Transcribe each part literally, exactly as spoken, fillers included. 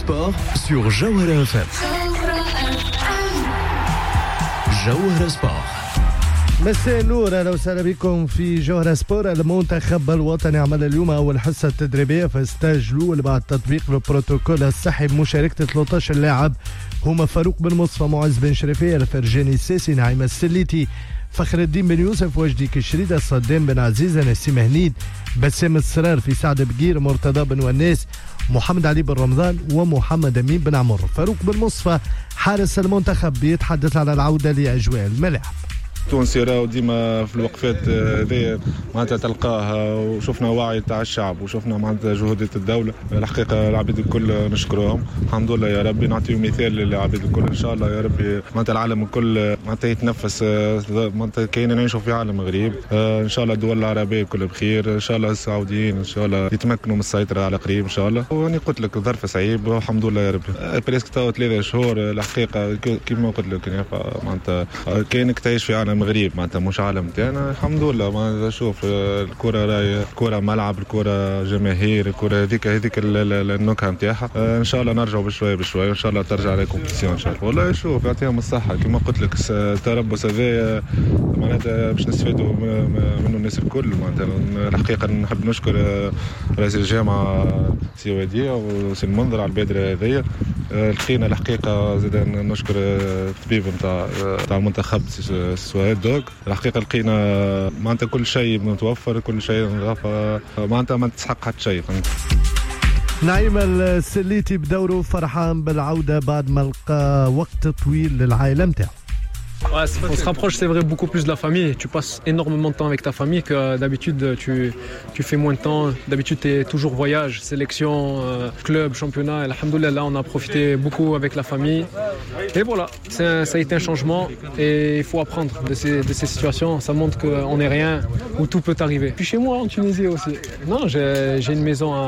Sport sur Jawhara F M. Jawhara Sport. مساء النور، اهلا وسهلا بكم في جوهرة سبور. المنتخب الوطني عمل اليوم اول حصة تدريبية في stage الاول بعد تطبيق البروتوكول الصحي بمشاركة ثلاثة عشر لاعب، هما فاروق بن مصطفى، معز بن شريفيه، الفرجاني الساسي، نعيم السليتي، فخر الدين بن يوسف، وجدي كشريدة، صدام بن عزيزة، نسيم هنيد، بسام السرار، سعد بقير، مرتضى بن وناس، محمد علي بن رمضان ومحمد امين بن عمر. فاروق بن مصطفى حارس المنتخب بيتحدث على العودة لاجواء الملاعب. تونسي راهو ديما في الوقفات هذه معناتها تلقاه، وشفنا وعي تاع الشعب وشفنا معناتها جهودات الدوله. الحقيقة العباد الكل نشكرهم، الحمد لله يا ربي. نعطيو مثال للعباد الكل، ان شاء الله يا ربي معناتها العالم الكل معناتها يتنفس، معناتها كاين نعيشوا في عالم غريب. ان شاء الله الدول العربية الكل بخير، ان شاء الله السعوديين ان شاء الله يتمكنوا من السيطرة على قريب ان شاء الله. واني قلت لك ظرف صعيب والحمد لله يا ربي. presque توا ثلاثة شهور، الحقيقة كيما قلت لك معناتها كاينك تعيش في عالم غريب، معناتها مش عالم تاعنا. الحمد لله، معناتها شوف الكره راهي الكره ملعب، الكره جماهير، الكره هذيك هذيك النكهة نتاعها. ان شاء الله نرجعوا بشوية بشويه، وان شاء الله ترجع la compétition ان شاء الله. والله شوف يعطيهم الصحه، كما قلت لك التربص هذا معناتها باش نستفادوا منه الناس الكل. معناتها الحقيقة نحب نشكر رئيس الجامعة سي وديع وسي المنذر على البادرة هذيا. لقينا الحقيقة زاد نشكر الطبيب نتاع نتاع المنتخب سوهيد دوك. الحقيقة لقينا معناتها كل شيء متوفر، كل شيء نظافه، معناتها ما تسحق حتى شيء. نعيم السليتي بدوره فرحان بالعودة بعد ما لقى وقت طويل للعائلة نتاعو. Ouais, on se rapproche, c'est vrai, beaucoup plus de la famille. Tu passes énormément de temps avec ta famille que d'habitude, tu, tu fais moins de temps. D'habitude, tu es toujours voyage, sélection, euh, club, championnat. الحمد لله, là, on a profité beaucoup avec la famille. Et voilà, ça a été un changement et il faut apprendre de ces, de ces situations. Ça montre qu'on n'est rien, où tout peut arriver. Puis chez moi, en Tunisie aussi. Non, j'ai une maison à,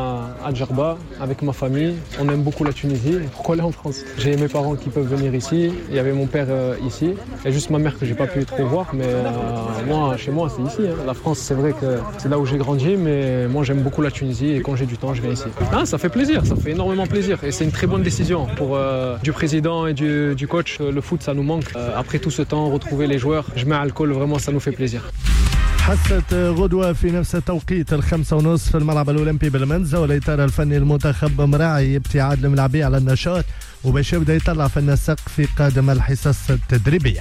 à Djerba avec ma famille. On aime beaucoup la Tunisie. Pourquoi aller en France? J'ai mes parents qui peuvent venir ici. Il y avait mon père euh, ici. Il y a juste ma mère que j'ai pas pu trop voir, mais euh, moi, chez moi, c'est ici, hein. La France, c'est vrai que c'est là où j'ai grandi, mais moi, j'aime beaucoup la Tunisie et quand j'ai du temps, je viens ici. Ah, ça fait plaisir, ça fait énormément plaisir et c'est une très bonne décision pour euh, du président et du, du coach. Le foot, ça nous manque. Euh, après tout ce temps, retrouver les joueurs, جماعة الكل, vraiment, ça nous fait plaisir. حصة غدوة في نفس التوقيت الخمسة ونصف في الملعب الأولمبي بالمنزه، والإطار الفني المنتخب مراعي ابتعاد الملاعبية على النشاط وباش يبدا يطلع في النسق في قادم الحصص التدريبية.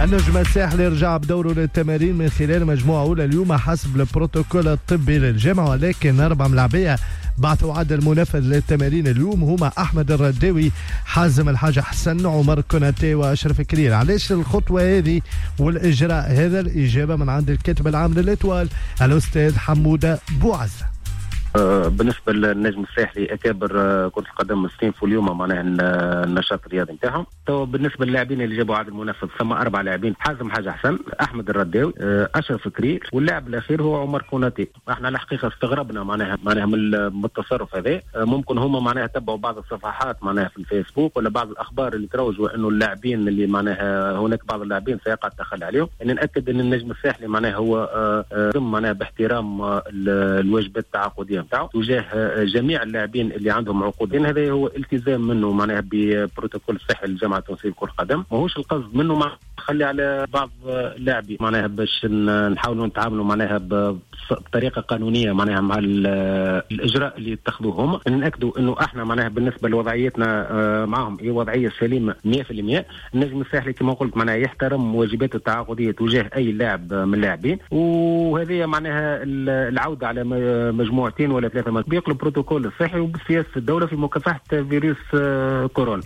النجم الساحلي رجع بدوره للتمارين من خلال مجموعة أولى اليوم حسب البروتوكول الطبي للجامعة، ولكن أربع ملاعبية بعثوا عدل منفذ للتمارين اليوم، هما أحمد الرداوي، حازم الحاج حسن، عمر كوناتي وأشرف كرير. علاش الخطوة هذه والإجراء هذا؟ الإجابة من عند الكاتب العام لل Étoile الأستاذ حمودة بوعزة. آه، بالنسبة للنجم الساحلي، اكابر آه، كره القدم استأنفوا اليوم معناها النشاط الرياضي نتاعهم. تو بالنسبة للاعبين اللي جابوا عدل منفذ، ثم اربع لاعبين: حازم حاجة حسن، احمد الرداوي، آه، اشرف كرير، واللاعب الاخير هو عمر كوناتي. احنا الحقيقة استغربنا معناها معناها من التصرف هذا. ممكن هما معناها تبعوا بعض الصفحات معناها في الفيسبوك ولا بعض الاخبار اللي تروجوا انه اللاعبين اللي معناها هناك بعض اللاعبين سيقع التخلي عليهم. يعني ناكد ان النجم الساحلي معناها هو معناها باحترام الواجبات التعاقديه نتاعو تجاه جميع اللاعبين اللي عندهم عقود. هذا هو التزام منه معناها ببروتوكول الصحي للجامعة التونسية لكرة القدم، ماهوش القصد منه مع التخلي على بعض اللاعبين. معناها باش نحاولوا نتعاملوا معناها بطريقة قانونية معناها مع الاجراء اللي اتخذوه هما. ناكدوا انه احنا معناها بالنسبة لوضعيتنا آه، معهم هي وضعية سليمة مية في المية. النجم الساحلي كما قلت معناها يحترم واجباته التعاقديه تجاه اي لاعب من اللاعبين، وهذه معناها العودة على مجموعتين ولا ثلاثة تطبيق البروتوكول الصحي وبسياسه الدولة في مكافحة فيروس آه، كورونا.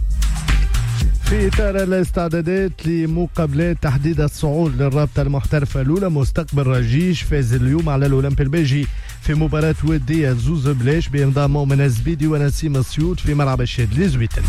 في إطار الاستعدادات لمقابلات تحديد الصعود للرابطة المحترفة الأولى، مستقبل رجيش فاز اليوم على الأولمبي الباجي في مباراة ودية زوز بلاش بإمضاء مؤمن الزبيدي ونسيم السيوط في ملعب الشاذلي زويتن.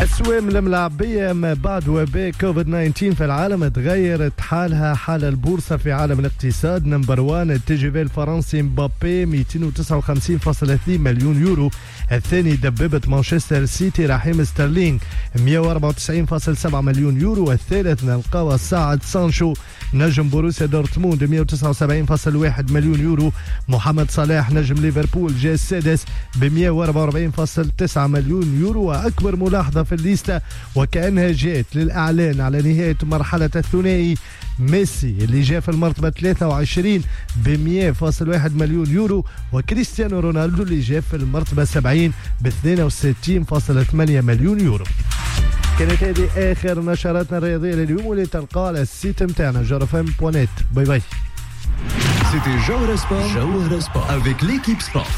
أسوام الملاعبية ما بعد وباء كوفيد تسعة عشر في العالم تغيرت حالها حال البورصة في عالم الاقتصاد. number one ال T G V الفرنسي مبابي، مئتين وتسعة وخمسين فاصلة اثنين مليون يورو. الثاني دبابة مانشستر سيتي رحيم سترلينغ، مئة وأربعة وتسعين فاصلة سبعة مليون يورو. الثالث نلقاو الصاعد سانشو نجم بوروسيا دورتموند، مئة وتسعة وسبعين فاصلة واحد مليون يورو. محمد صلاح نجم ليفربول جاء السادس ب مئة وأربعة وأربعين فاصلة تسعة مليون يورو. واكبر ملاحظة في الليستة وكانها جاءت للاعلان على نهاية مرحلة الثنائي ميسي اللي جاء في المرتبة ثلاثة وعشرين ب مئة فاصلة واحد مليون يورو، وكريستيانو رونالدو اللي جاء في المرتبة سبعين ب اثنين وستين فاصلة ثمانية مليون يورو. كانت هذه اخر نشراتنا الرياضية لليوم واللي تلقاها على ال site نتاعنا جوهرة F M point net. bye bye. C'était Jawhara Sport, Jawhara Sport avec l'équipe sport.